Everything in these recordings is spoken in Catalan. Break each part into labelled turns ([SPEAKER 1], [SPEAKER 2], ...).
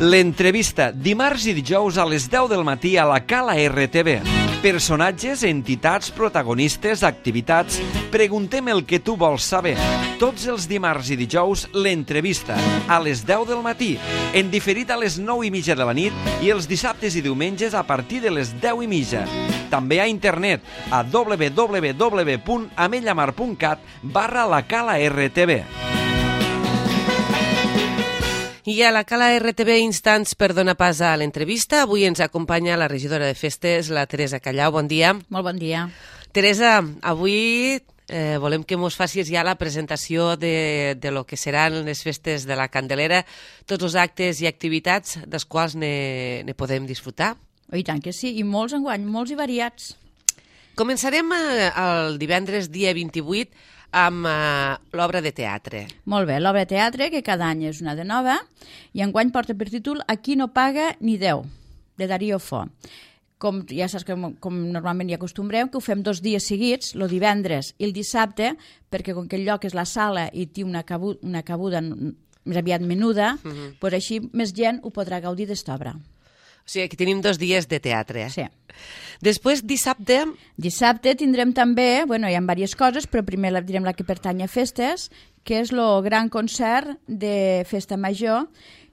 [SPEAKER 1] L'entrevista, dimarts i dijous a les 10 del matí a la Cala RTV. Personatges, entitats, protagonistes, activitats. Preguntem el que tu vols saber. Tots els dimarts i dijous, l'entrevista, a les 10 del matí, en diferit a les 9:30 de la nit i els dissabtes i diumenges a partir de les 10:30. També a internet a www.amellamar.cat/la Cala RTV.
[SPEAKER 2] I a la Cala RTV instants per donar pas a l'entrevista. Avui ens acompanya la regidora de festes, la Teresa Callau. Bon dia.
[SPEAKER 3] Molt bon dia.
[SPEAKER 2] Teresa, avui volem que mos facis ja la presentació de lo que seran les festes de la Candelera, tots els actes i activitats dels quals ne podem disfrutar.
[SPEAKER 3] I tant que sí, i molts enguany, molts i variats.
[SPEAKER 2] Començarem el divendres dia 28 amb l'obra de teatre.
[SPEAKER 3] Molt bé, l'obra de teatre, que cada any és una de nova, i enguany porta per títol Aquí no paga ni Déu, de Darío Fo. Com ja saps, com normalment hi acostumbrem, que ho fem 2 dies seguits, el divendres i el dissabte, perquè com que el lloc és la sala i té una cabuda més aviat menuda, doncs així més gent ho podrà gaudir d'esta obra.
[SPEAKER 2] O sigui, que tenim 2 dies de teatre.
[SPEAKER 3] Sí.
[SPEAKER 2] Després, dissabte...
[SPEAKER 3] Dissabte tindrem també, bueno, hi ha diverses coses, però primer direm la que pertany a festes, que és el gran concert de Festa Major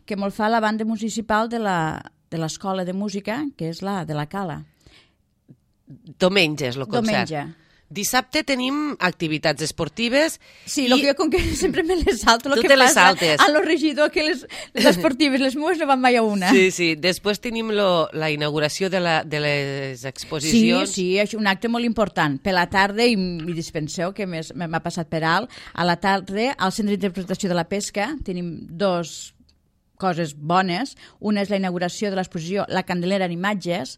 [SPEAKER 3] que molt fa la banda municipal de l'Escola de Música, que és la de la Cala.
[SPEAKER 2] Diumenge és el concert.
[SPEAKER 3] Diumenge.
[SPEAKER 2] Dissabte tenim activitats esportives.
[SPEAKER 3] Sí, jo com que sempre me les salto, el
[SPEAKER 2] tu
[SPEAKER 3] que
[SPEAKER 2] les
[SPEAKER 3] passa
[SPEAKER 2] saltes.
[SPEAKER 3] A lo regidor que les esportives, les meves no van mai a una.
[SPEAKER 2] Sí, sí. Després tenim la inauguració de les exposicions.
[SPEAKER 3] Sí, és un acte molt important. Per la tarda, i dispenseu que m'ha passat per alt, a la tarda al Centre d'Interpretació de la Pesca tenim 2 coses bones. Una és la inauguració de l'exposició La Candelera en imatges,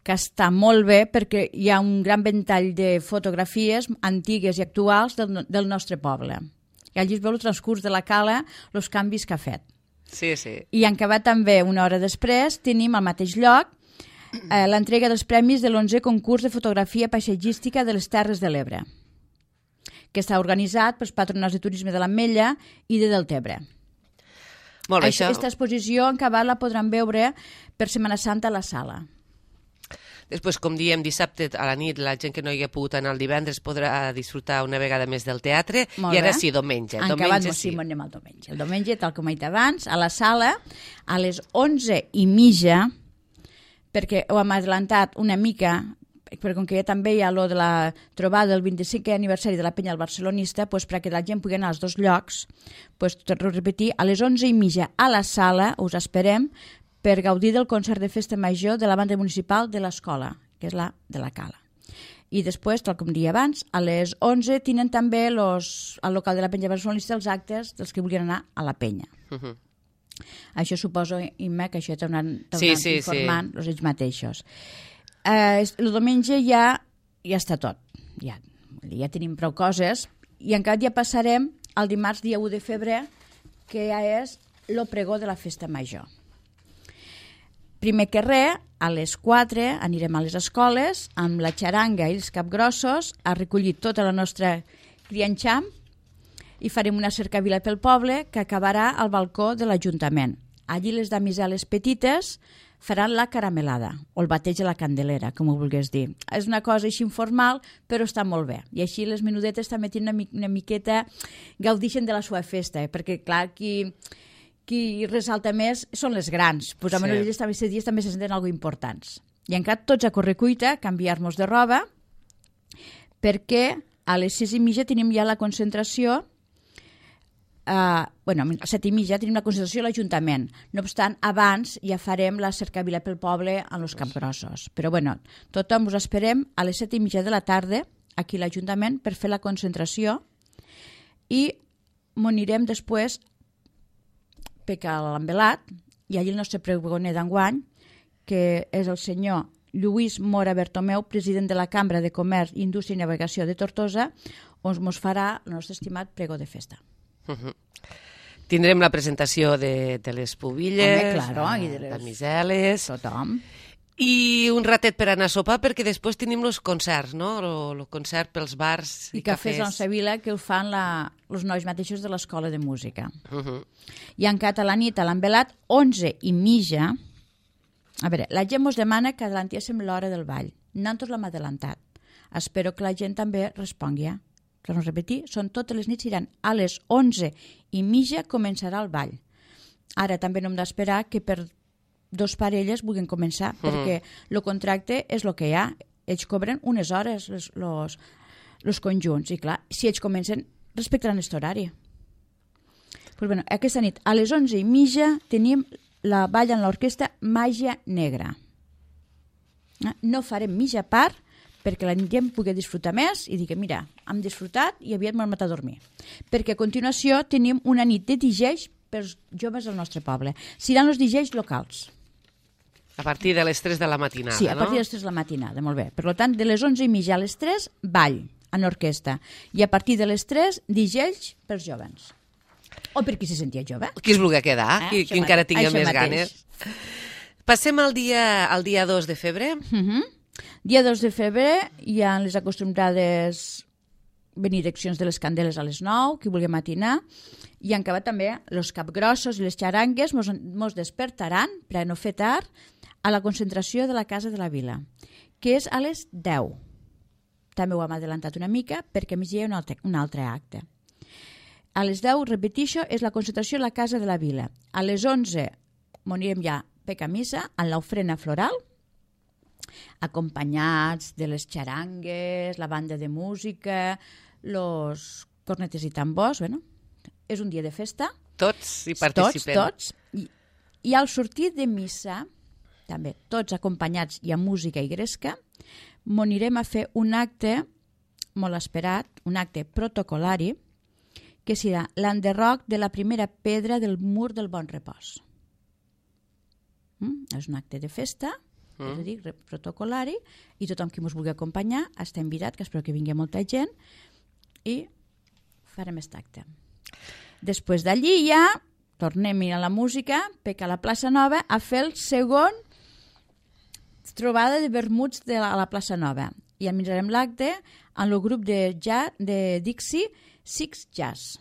[SPEAKER 3] que està molt bé perquè hi ha un gran ventall de fotografies antigues i actuals del nostre poble. I allí es veu el transcurs de la Cala, els canvis que ha fet.
[SPEAKER 2] Sí, sí.
[SPEAKER 3] I en acabat també, una hora després, tenim al mateix lloc l'entrega dels premis de l'11è concurs de fotografia paisatgística de les Terres de l'Ebre, que està organitzat pels patronats de turisme de l'Ametlla i de Deltebre.
[SPEAKER 2] Molt bé, això.
[SPEAKER 3] Aquesta exposició en acabat la podran veure per Setmana Santa a la sala.
[SPEAKER 2] Després, com diem, dissabte a la nit, la gent que no hi ha pogut anar el divendres podrà disfrutar una vegada més del teatre.
[SPEAKER 3] Molt
[SPEAKER 2] I ara
[SPEAKER 3] bé.
[SPEAKER 2] sí, diumenge.
[SPEAKER 3] En acabat, sí, anem al diumenge. El diumenge, tal com he dit abans, a la sala, a les 11:30, perquè ho hem adelantat una mica, perquè com que ja també hi ha lo de la trobada del 25è aniversari de la penya del barcelonista, doncs perquè la gent pugui anar als 2 llocs, doncs, torno a repetir, a les 11:30 a la sala us esperem per gaudir del concert de Festa Major de la banda municipal de l'escola, que és la de la Cala. I després, tal com dia abans, a les 11 tenen també al local de la penya barcelonista els actes dels que vulguin anar a la penya. Això suposo, Imma, que això t'hauran informant ells mateixos. El diumenge ja està tot. Ja tenim prou coses. I encara ja passarem al dimarts, dia 1 de febrer, que ja és el pregó de la Festa Major. Primer que res, a les 4 anirem a les escoles amb la xaranga i els capgrossos a recollir tota la nostra crianxam i farem una cercavila pel poble que acabarà al balcó de l'Ajuntament. Allí les damiseles petites faran la caramelada o el bateig de la Candelera, com ho vulguis dir. És una cosa així informal, però està molt bé. I així les menudetes també tenen una miqueta, gaudixen de la seva festa, perquè clar, qui ressalta més són les grans. Pues almenys elles també aquests dies també se senten algo importants. I encara tots a correcuita, canviar-nos de roba, perquè a les 6:30 tenim ja la concentració, a les 7:30 tenim la concentració a l'Ajuntament. No obstant, abans ja farem la cercavila pel poble en els capgrossos. Però bueno, tothom us esperem a les 7:30 de la tarda aquí a l'Ajuntament per fer la concentració i m'anirem després a l'Envelat, i allí el nostre pregoner d'enguany, que és el senyor Lluís Mora Bertomeu, president de la Cambra de Comerç, Indústria i Navegació de Tortosa, on ens farà el nostre estimat pregó de festa.
[SPEAKER 2] Tindrem la presentació de les pubilles,
[SPEAKER 3] i de les
[SPEAKER 2] damiseles...
[SPEAKER 3] Tothom.
[SPEAKER 2] I un ratet per anar a sopar, perquè després tenim els concerts, no? El concert pels bars i
[SPEAKER 3] cafès a Sevilla, que ho fan els nois mateixos de l'escola de música. I encara a la nit, a l'envelat, 11:30. A veure, la gent ens demana que adelantíssim l'hora del ball. Nosaltres l'hem adelantat. Espero que la gent també respongui. Per no repetir, són totes les nits, iran a les 11:30 començarà el ball. Ara també no hem d'esperar que per dos parelles vulguin començar, perquè el contracte és el que hi ha. Ells cobren unes hores, els conjunts, i clar, si ells comencen, respectaran aquest horari. Pues bueno, aquesta nit, a les 11:30, tenim la balla en l'orquestra Màgia Negra. No farem mitja part, perquè la gent pugui disfrutar més i digui, mira, hem disfrutat i aviat m'hem matat a dormir. Perquè a continuació tenim una nit de DJs pels joves del nostre poble. Seran els DJs locals.
[SPEAKER 2] A partir de les 3 de la matinada, no?
[SPEAKER 3] Sí, a partir de les 3 de la matinada, molt bé. Per tant, de les 11:30 a les 3, ball en orquestra. I a partir de les 3, DJs pels jovens. O per qui se sentia jove.
[SPEAKER 2] Qui es vulgui quedar, qui encara tingui més ganes. Passem al dia 2 de febrer.
[SPEAKER 3] Dia 2 de febrer hi ha les acostumbrades benediccions de les candeles a les 9, qui vulgui matinar. I han acabat també els capgrossos i les xarangues mos despertaran, per a no fer tard, a la concentració de la Casa de la Vila, que és a les 10. També ho hem adelantat una mica perquè a més hi ha un altre acte. A les 10, repetixo, és la concentració a la Casa de la Vila. A les 11 anirem ja a missa en l'ofrena floral, acompanyats de les xarangues, la banda de música, los cornetes i tambors. Bueno, és un dia de festa.
[SPEAKER 2] Tots hi participem.
[SPEAKER 3] Tots. I al sortir de missa, també tots acompanyats i amb música i gresca, anirem a fer un acte molt esperat, un acte protocolari, que serà l'enderroc de la primera pedra del mur del Bon Repòs. És un acte de festa, és a dir, protocolari, i tothom qui ens vulgui acompanyar està invitat, que espero que vingui molta gent, i farem aquest acte. Després d'allí ja tornem a la música, a la plaça Nova, a fer el segon trobada de vermuts a la plaça Nova. I administrarem l'acte en el grup de Dixie Six Jazz.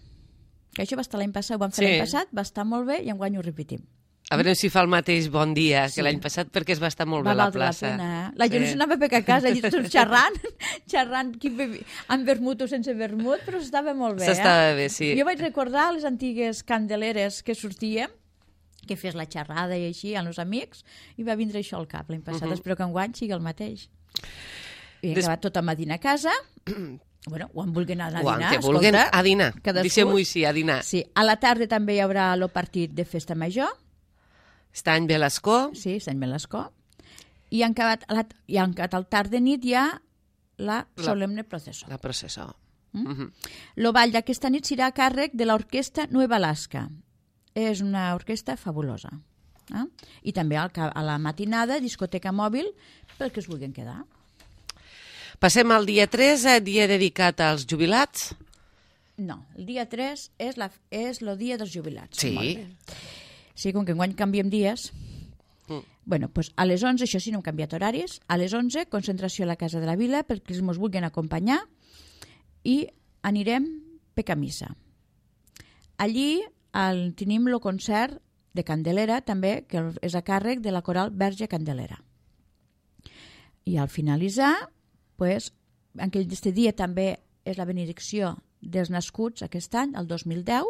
[SPEAKER 3] Que això va estar l'any passat, ho vam fer l'any passat, va estar molt bé i enguany ho repetim.
[SPEAKER 2] A veure si fa el mateix bon dia que l'any passat, perquè es va estar molt bé a la plaça.
[SPEAKER 3] La gent s'anava a casa, tots xerrant amb vermut o sense vermut, però s'estava molt bé.
[SPEAKER 2] S'estava bé, sí.
[SPEAKER 3] Jo vaig recordar les antigues candeleres que sortíem, que fes la xerrada i així amb els amics, i va vindre això al cap l'any passat. Espero que enguany sigui el mateix. I he acabat tot a dinar a casa. Bueno, o en vulguin anar a dinar.
[SPEAKER 2] O en que vulguin a dinar. Deixem-ho així, a dinar.
[SPEAKER 3] Sí, a la tarda també hi haurà el partit de festa major.
[SPEAKER 2] Està en Velascó.
[SPEAKER 3] Sí, està en Velascó. I han acabat al tard de nit ja la solemne processó.
[SPEAKER 2] La processó.
[SPEAKER 3] El ball d'aquesta nit serà a càrrec de l'orquestra Nueva Alaska. És una orquestra fabulosa. I també a la matinada, discoteca mòbil, pel que es vulguin quedar.
[SPEAKER 2] Passem al dia 3, dia dedicat als jubilats.
[SPEAKER 3] No, el dia 3 és el dia dels jubilats.
[SPEAKER 2] Sí.
[SPEAKER 3] Sí, com que enguany canviem dies. Bueno, doncs a les 11, això sí, no hem canviat horaris, a les 11, concentració a la Casa de la Vila, perquè ens vulguin acompanyar, i anirem a missa. Allí tenim el concert de Candelera, també, que és a càrrec de la coral Verge Candelera. I al finalitzar, en aquest dia també és la benedicció dels nascuts aquest any, el 2010,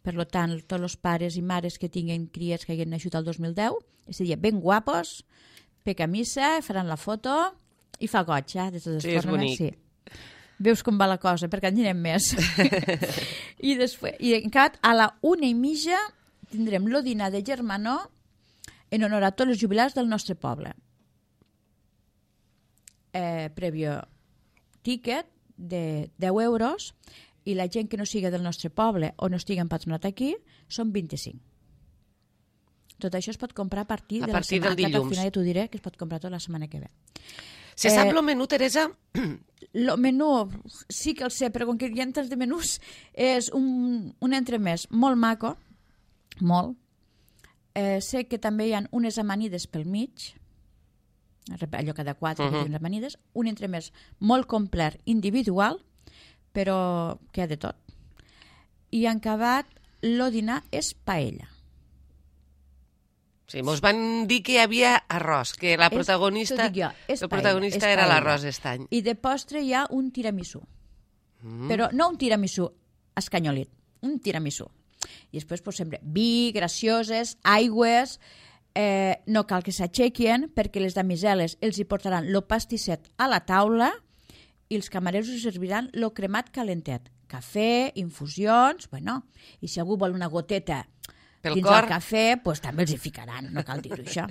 [SPEAKER 3] per tant, tots els pares i mares que tinguin criats que hagin nascut el 2010, és a dir, ben guapos, a missa, faran la foto i fa goig, de totes formes.
[SPEAKER 2] És bonic.
[SPEAKER 3] Sí. Veus com va la cosa, perquè en direm més. I després, encara a la 1:30 tindrem el dinar de germanor en honor a tots els jubilats del nostre poble. Prèvio tiquet de 10 euros, i la gent que no siga del nostre poble o no estigui empadronat aquí són 25. Tot això es pot comprar a partir de la setmana.
[SPEAKER 2] Del dilluns.
[SPEAKER 3] Al final ja t'ho diré, que es pot comprar tota la setmana que ve.
[SPEAKER 2] Se sap el menú, Teresa?
[SPEAKER 3] El menú sí que el sé, però com que hi ha tants de menús, és un entremès molt maco, molt. Sé que també hi ha unes amanides pel mig, allò cada 4 repeticions, un entremès molt complet individual, però que ha de tot. I en acabat, el dinar és paella.
[SPEAKER 2] Sí, mos van dir que hi havia arròs, que la protagonista, era l'arròs estany.
[SPEAKER 3] I de postre hi ha un tiramisú. Però no un tiramisú escanyolit, un tiramisú. I després, sempre, vi, gracioses, aigües, no cal que s'aixequin perquè les damiseles els hi portaran el pastisset a la taula i els camareros us serviran el cremat calentet. Cafè, infusions, bueno, i si algú vol una goteta dins el cafè, doncs també els hi ficaran, no cal dir-ho, això.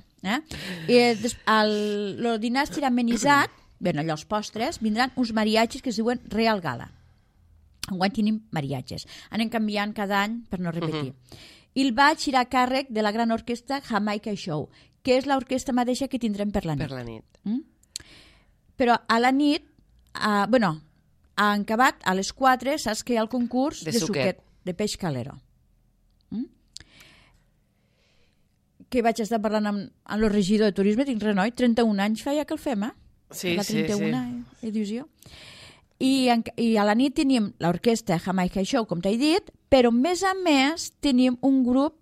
[SPEAKER 3] El dinar estirà amenitzat, bé, allò, els postres, vindran uns mariachis que es diuen Real Gala. Enguany tenim mariatges. Anem canviant cada any per no repetir. I el baix irà a càrrec de la gran orquestra Jamaica Show, que és l'orquestra mateixa que tindrem per la nit.
[SPEAKER 2] Per la nit.
[SPEAKER 3] Però a la nit, bueno, a acabat, a les 4, saps que hi ha el concurs de suquet, de peix calero. Que vaig estar parlant amb el regidor de turisme, dic, renoi, 31 anys feia que el fem,
[SPEAKER 2] Sí,
[SPEAKER 3] la 31
[SPEAKER 2] sí.
[SPEAKER 3] edició. I a la nit tenim l'orquestra Jamaica Show, com t'he dit, però més a més tenim un grup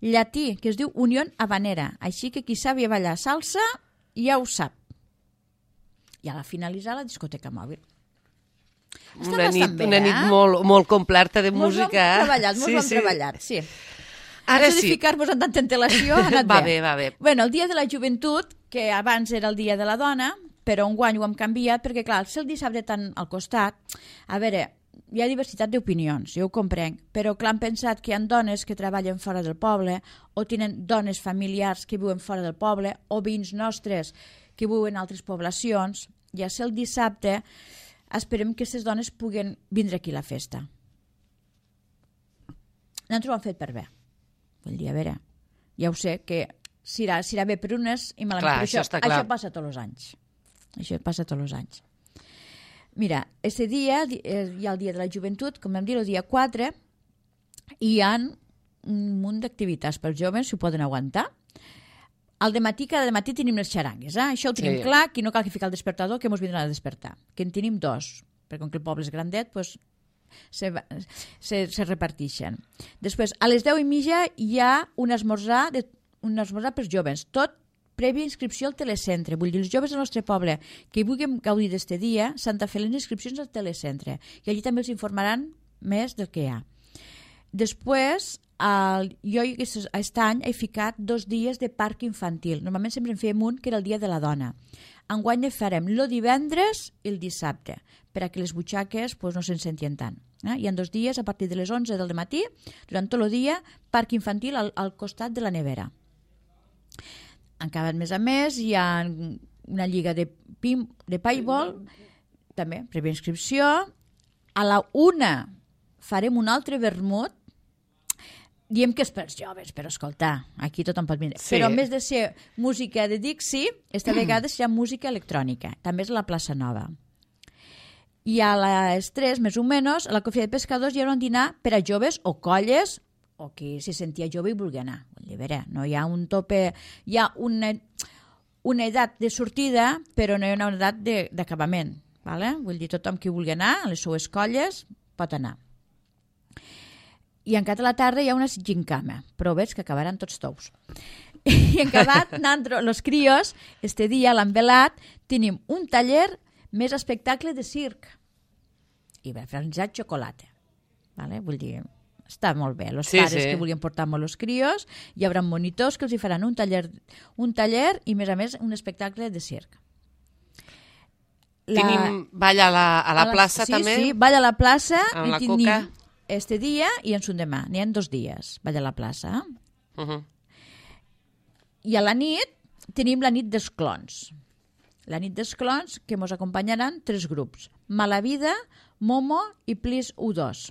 [SPEAKER 3] llatí que es diu Unión Habanera, així que qui sàvia ballar salsa ja ho sap. I a la finalitzar la discoteca mòbil.
[SPEAKER 2] Una nit molt completa de música.
[SPEAKER 3] Molt ben treballat, sí. Ara sí. De ficar-vos en tanta antelació ha anat bé.
[SPEAKER 2] Va bé.
[SPEAKER 3] Bueno, el dia de la joventut, que abans era el dia de la dona, però enguany ho hem canviat, perquè clar, si el dissabte tant al costat, a veure, hi ha diversitat d'opinions, jo ho comprenc, però clar, han pensat que hi ha dones que treballen fora del poble, o tenen dones familiars que viuen fora del poble, o veïns nostres que viuen en altres poblacions, i a ser el dissabte esperem que aquestes dones puguen vindre aquí a la festa. Nosaltres ho hem fet per bé. Vull dir, a veure, ja ho sé, que serà bé per unes i malament per això. Això passa tots els anys. Això passa tots els anys. Mira, aquest dia, hi ha el dia de la joventut, com vam dir, el dia 4, hi ha un munt d'activitats per joves, si ho poden aguantar. Cada matí tenim les xarangues, això ho tenim clar, que no cal que ficar el despertador, que ens vindran a despertar. Que en tenim 2, perquè com que el poble és grandet, doncs se reparteixen. Després, a les 10:30 hi ha un esmorzar per joves, tot prèvia inscripció al telecentre. Vull dir, els joves del nostre poble que vulguin gaudir d'aquest dia s'han de fer les inscripcions al telecentre i allí també els informaran més del que hi ha. Després, jo aquest any he ficat 2 dies de parc infantil. Normalment sempre en fèiem un, que era el dia de la dona. Enguany en farem el divendres i el dissabte, perquè les butxaques no se'n sentien tant. Hi ha 2 dies, a partir de les 11 del matí, durant tot el dia, parc infantil al costat de la nevera. Encara més a més, hi ha una lliga de paintball, també, prèvia inscripció. A la 1 farem un altre vermut. Diem que és pels joves, però escoltar, aquí tothom pot vindre. Sí. Però a més de ser música de Dixie, esta vegada serà música electrònica. També és a la plaça Nova. I a les 3, més o menys, a la Cofia de Pescadors hi haurà un dinar per a joves o colles, o qui se sentia jove i vulgui anar. Vull dir, no hi ha un tope, hi ha una edat de sortida, però no hi ha una edat d'acabament. Vale? Vull dir, tothom qui vulgui anar, a les seues colles, pot anar. I encara a la tarda hi ha una gincama, però veig que acabaran tots tous. I en acabat, els crios, este dia, l'han velat, tenim un taller més espectacle de circ. I va realitzar xocolata. Vale? Vull dir, està molt bé. Els pares que vulguin portar molt els crios, hi haurà monitors que els hi faran un taller i, a més, un espectacle de circ.
[SPEAKER 2] Tenim ball a la plaça també?
[SPEAKER 3] Sí, ball a la plaça.
[SPEAKER 2] Amb la coca.
[SPEAKER 3] Este dia i en son demà. N'hi ha 2 dies, ball a la plaça. I a la nit tenim la nit dels clons. La nit dels clons que ens acompanyaran 3 grups. Malavida, Momo i Please U2,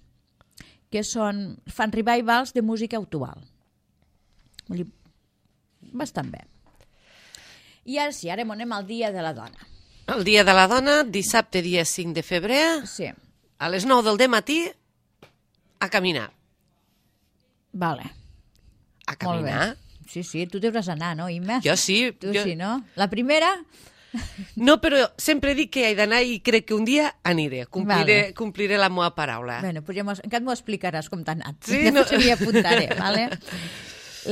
[SPEAKER 3] que fan revivals de música actual. Bastant bé. I ara sí, ara anem al dia de la dona.
[SPEAKER 2] El dia de la dona, dissabte dia 5 de febrer, a les 9 del dematí, a caminar.
[SPEAKER 3] Vale.
[SPEAKER 2] A caminar.
[SPEAKER 3] Sí, tu deuràs anar, no, Imma?
[SPEAKER 2] Jo sí.
[SPEAKER 3] Tu sí, no? La primera...
[SPEAKER 2] No, però sempre dic que he d'anar i crec que un dia aniré. Compliré la meva paraula.
[SPEAKER 3] Bueno, pues encara m'ho explicaràs com t'ha anat.
[SPEAKER 2] Sí,
[SPEAKER 3] després m'hi apuntaré, vale?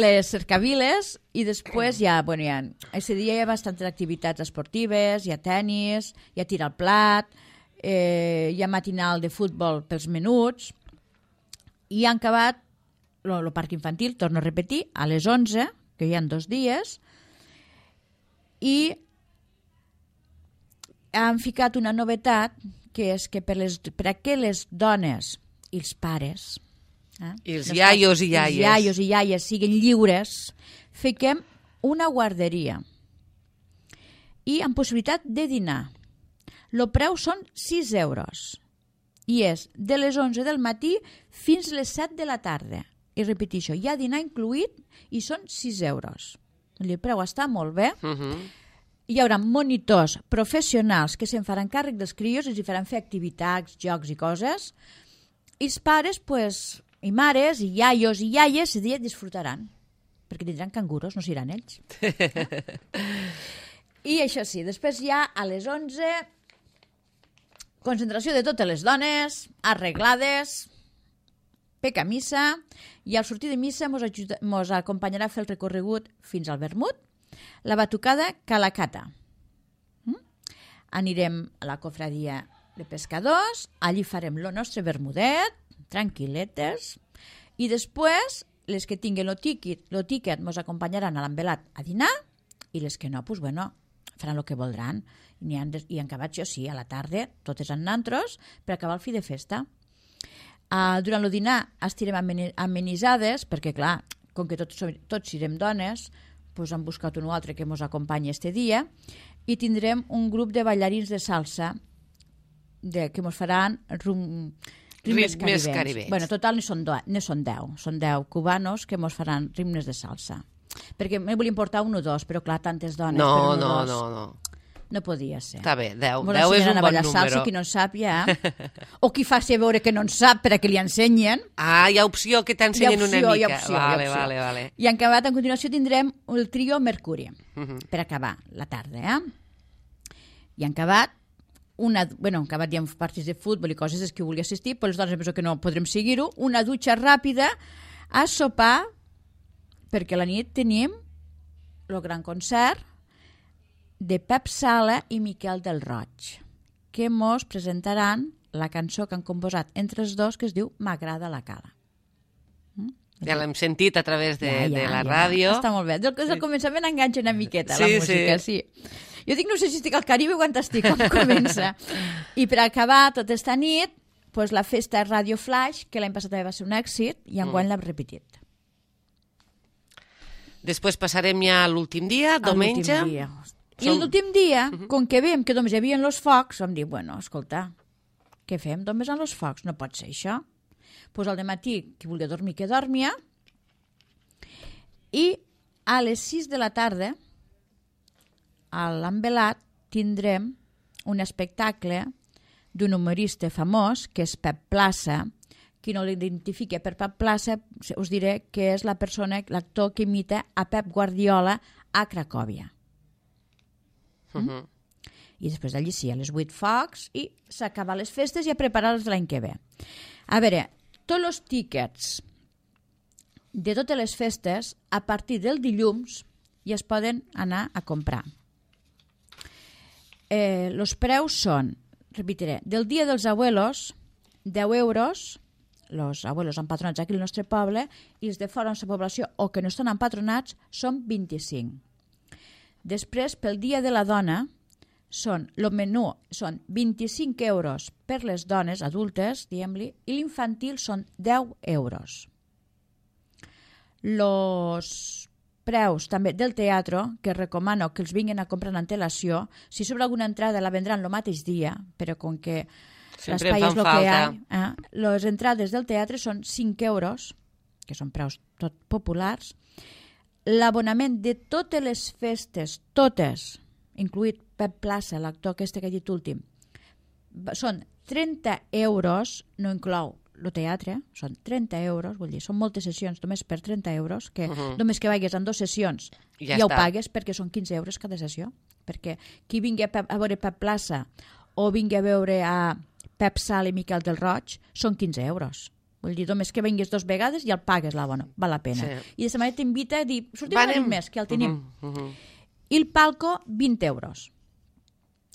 [SPEAKER 3] Les cercaviles i després aquest dia hi ha bastantes activitats esportives, hi ha tennis, hi ha tir al plat, hi ha matinal de futbol pels menuts i han acabat el parc infantil, torno a repetir, a les 11, que hi ha 2 dies, i han ficat una novetat que és que per a que les dones i els pares
[SPEAKER 2] i els iaios i iaies.
[SPEAKER 3] Els iaios i iaies siguin lliures, fiquem una guarderia i amb possibilitat de dinar. El preu són 6 euros i és de les 11 del matí fins les 7 de la tarda. I repeteixo, hi ha dinar incluït i són 6 euros. El preu està molt bé. Hi haurà monitors professionals que se'n faran càrrec dels crios, els faran fer activitats, jocs i coses. I els pares, i mares, i iaios i iaies, el dia disfrutaran, perquè tindran canguros, no seran ells. I això sí, després ja a les 11, concentració de totes les dones, arreglades, pec a missa, i al sortir de missa mos acompanyarà a fer el recorregut fins al vermut, la batucada Calacata. Anirem a la cofradia de pescadors, allí farem el nostre vermudet, tranquil·letes, i després les que tinguin el tiquet mos acompanyaran a l'envelat a dinar i les que no, faran el que voldran. I han acabat, jo sí, a la tarda, totes en nantros, per acabar el fi de festa. Durant el dinar estirem amenitzades, perquè clar, com que tots serem dones, han buscat un o altre que mos acompanyi este dia, i tindrem un grup de ballarins de salsa que mos faran ritmes caribenys. Bueno, total, són 10. Són 10 cubanos que mos faran ritmes de salsa. Perquè me volia portar un o dos, però clar, tantes dones per un o dos. No podia ser.
[SPEAKER 2] Està bé, 10. 10 és un bon número.
[SPEAKER 3] Salsa, qui no en sap ja. O qui faci veure que no en sap per a que li ensenyen.
[SPEAKER 2] Hi ha opció que t'ensenyen una mica.
[SPEAKER 3] Hi ha opció.
[SPEAKER 2] Vale.
[SPEAKER 3] I en acabat, a continuació, tindrem el trio Mercuri, per acabar la tarda. I en acabat, acabat hi ha partits de futbol i coses que volia assistir, però les dones penso que no podrem seguir-ho, una dutxa ràpida a sopar, perquè a la nit tenim el gran concert de Pep Sala i Miquel del Roig, que mos presentaran la cançó que han composat entre els dos, que es diu M'agrada la cala.
[SPEAKER 2] Ja l'hem sentit a través de la ràdio.
[SPEAKER 3] Està molt bé. Des del començament enganxa una miqueta la música, sí. Jo dic, no sé si estic al Caribe o quan estic, com comença. I per acabar tota esta nit, la festa Radio Flash, que l'any passat també va ser un èxit, i enguany l'hem repetit.
[SPEAKER 2] Després passarem ja a l'últim dia, diumenge.
[SPEAKER 3] I l'últim dia, com que veiem que només hi havia els focs, vam dir, escolta, què fem només amb els focs? No pot ser això. Doncs al dematí, qui volia dormir, que dormia, i a les 6 de la tarda, a l'envelat, tindrem un espectacle d'un humorista famós, que és Pep Plaça. Qui no l'identifica per Pep Plaça, us diré que és l'actor que imita a Pep Guardiola a Cracòvia. I després d'allí sí, a les 8 focs, i s'acaba les festes i a preparar-les l'any que ve. A veure, tots els tíquets de totes les festes, a partir del dilluns, ja es poden anar a comprar. Els preus són, repetiré, del dia dels abuelos, 10 euros, els abuelos empadronats aquí al nostre poble, i els de fora de la població o que no estan empadronats són 25. Després, pel dia de la dona, el menú són 25 euros per les dones adultes, diguem-li, i l'infantil són 10 euros. Els preus també del teatre, que recomano que els vinguin a comprar en antelació, si sobre alguna entrada la vendran el mateix dia, però com que l'espai és el que hi ha, les entrades del teatre són 5 euros, que són preus tot populars. L'abonament de totes les festes, totes, incluït Pep Plaça, l'actor que he dit últim, són 30 euros, no inclou el teatre, són 30 euros, vull dir, són moltes sessions, només per 30 euros, que només que vagis en 2 sessions ja ho pagues, perquè són 15 euros cada sessió. Perquè qui vingui a veure Pep Plaça o vingui a veure a Pep Sala i Miquel del Roig, són 15 euros. Vull dir, només que vinguis 2 vegades ja el pagues, val la pena. Sí. I de aquesta manera t'invita a dir, sortim una nit més, que el tenim. I el palco, 20 euros.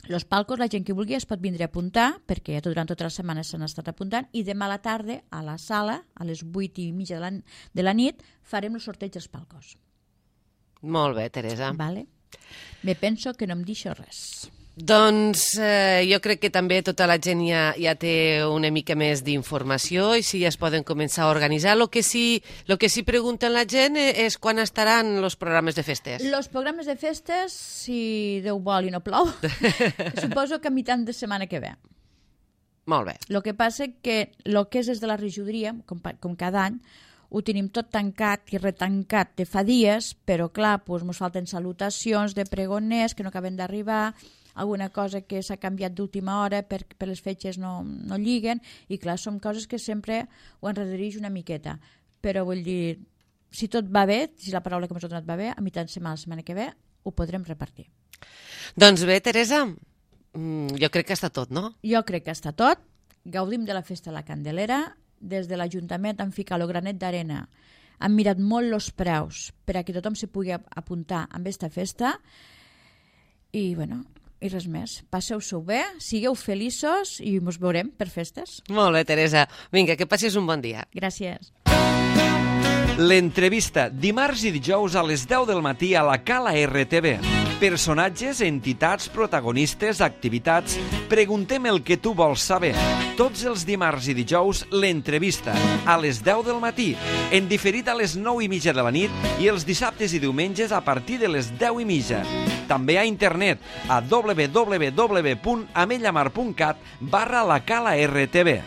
[SPEAKER 3] Els palcos, la gent que vulgui es pot vindre a apuntar, perquè durant tota la setmana s'han estat apuntant, i demà a la tarda, a la sala, a les 8:30 de la nit, farem el sorteig dels palcos.
[SPEAKER 2] Molt bé, Teresa.
[SPEAKER 3] Vale. Me penso que no em deixo res.
[SPEAKER 2] Doncs jo crec que també tota la gent ja té una mica més d'informació i sí, ja es poden començar a organitzar. Lo que sí pregunten la gent és quan estaran els programes de festes.
[SPEAKER 3] Els programes de festes, si Déu vol i no plou, suposo que a mitjan de setmana que ve.
[SPEAKER 2] Molt bé.
[SPEAKER 3] El que passa que el que és des de la regidoria, com cada any, ho tenim tot tancat i retancat de fa dies, però clar, ens falten salutacions de pregoners que no acaben d'arribar, alguna cosa que s'ha canviat d'última hora per les fetges no lliguen, i clar, són coses que sempre ho enredireix una miqueta. Però vull dir, si tot va bé, si la paraula que m'ha donat va bé, a mitjan setmana, la setmana que ve, ho podrem repartir.
[SPEAKER 2] Doncs bé, Teresa, jo crec que està tot, no?
[SPEAKER 3] Jo crec que està tot. Gaudim de la festa de la Candelera. Des de l'Ajuntament han ficat el granet d'arena. Han mirat molt els preus per a que tothom se pugui apuntar a aquesta festa. I, bueno, i res més. Passeu-s'ho bé, sigueu feliços i ens veurem per festes.
[SPEAKER 2] Molt bé, Teresa. Vinga, que passis un bon dia.
[SPEAKER 3] Gràcies.
[SPEAKER 1] L'entrevista, dimarts i dijous a les 10 del matí a la Cala RTV. Personatges, entitats, protagonistes, activitats... Preguntem el que tu vols saber. Tots els dimarts i dijous, l'entrevista, a les 10 del matí, en diferit a les 9:30 de la nit i els dissabtes i diumenges a partir de les 10:30. També a internet a www.amellamar.cat/la Cala RTV.